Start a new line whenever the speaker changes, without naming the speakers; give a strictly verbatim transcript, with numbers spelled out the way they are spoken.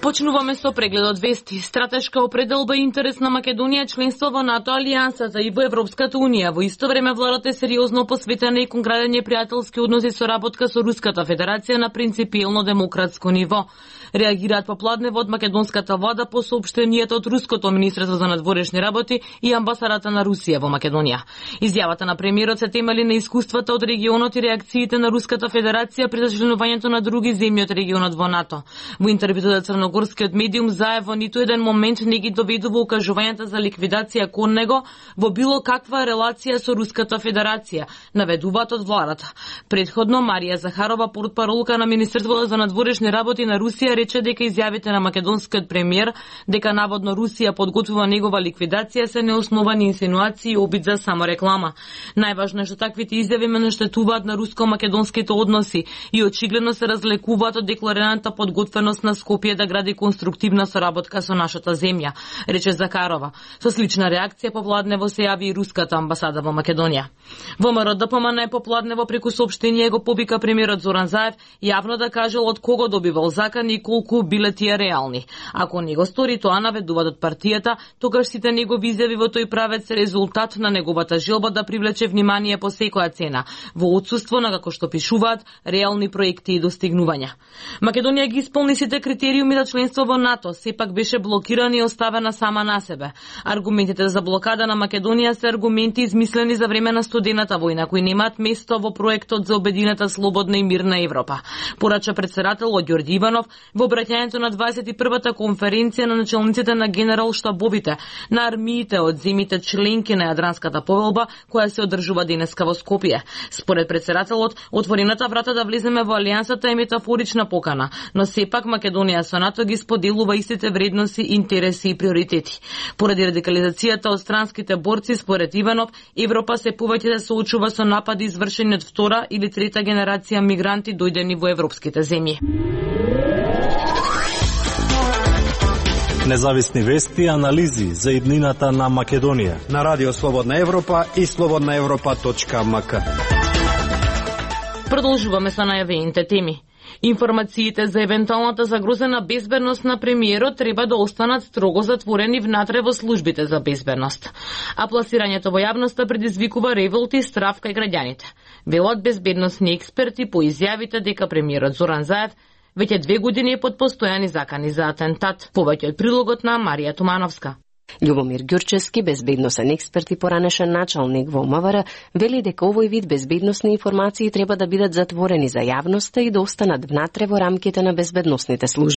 Почнуваме со прегледот вести. Стратешка определба и интерес на Македонија членство во НАТО алијансата и во Европската унија. Во исто време владата е сериозно посветена и кон градење пријателски односи со работка со Руската Федерација на принципиелно демократско ниво. Реагираат попладнево од македонската влада по соопштенијата од Руското министерство за надворешни работи и амбасадата на Русија во Македонија. Изјавата на премиерот се темели на искуствата од регионот и реакциите на Руската Федерација при зачленувањето на други земји од регионот во НАТО. Во интервјуто за црногорскиот медиум Заев во ниту еден момент не ги доведува укажувањата за ликвидација кон него во било каква релација со Руската Федерација, наведуваат од владата. Предходно Марија Захарова, портпаролка на Министерството за надворешни работи на Русија, рече дека изјавите на македонскиот премиер дека наводно Русија подготвува негова ликвидација се неосновани инсинуации и обид за самореклама. Најважно е што таквите изјави ме наштетуваат на руско-македонските односи и очигледно се разлекуваат од декларираната подготвеност на Скопје да гради конструктивна соработка со нашата земја, рече Закарова. Со слична реакција попладнево се јави и руската амбасада во Македонија. ВМРО ДПМН е попладнево преку соопштение го повика премиерот Зоран Заев јавно да кажал од кого добивал закани и колку биле тие реални. Ако не го стори тоа, наведуваат од партијата, тогаш сите негови изјави во тој правец се резултат на неговата желба да привлече внимание по секоја цена, во отсуство на, како што пишуваат, реални проекти и достигнувања. Македонија ги исполни сите критериуми за членство во НАТО, сепак беше блокирана и оставена сама на себе. Аргументите за блокада на Македонија се аргументи измислени за време на студената војна, кои немаат место во проектот за обединета слободна и мирна Европа. Порача председателот Ѓорѓи Иванов во обраќањето на дваесет и првата конференција на начелниците на генерал штабовите на армиите од земјите членки на Јадранската повелба, која се одржува денеска во Скопје. Според председателот, отворената врата да влеземе во алијансата е метафорична покана, но сепак Македонија со НАТО ги споделува истите вредности, интереси и приоритети. Поради радикализацијата од странските борци, според Иванов, Европа се повеќе се соочува со напади извршени од втора или трета генерација мигранти дојдени во европските земји.
Независни вести и анализи за иднината на Македонија
на Радио Слободна Европа и слободна европа точка ем ка.
Продолжуваме со најавените теми. Информациите за евентуалната загрозена безбедност на премиерот треба да останат строго затворени внатре во службите за безбедност. А пласирањето во јавноста предизвикува револт и страв кај граѓаните. Велат безбедносни експерти по изјавите дека премиерот Зоран Заев веќе две години е под постојани закани за атентат. Повеќе од прилогот на Марија Тумановска.
Љубомир Ѓурчевски, безбедносен експерт и поранешен началник во МВР, вели дека овој вид безбедносни информации треба да бидат затворени за јавноста и да останат внатре во рамките на безбедносните служби.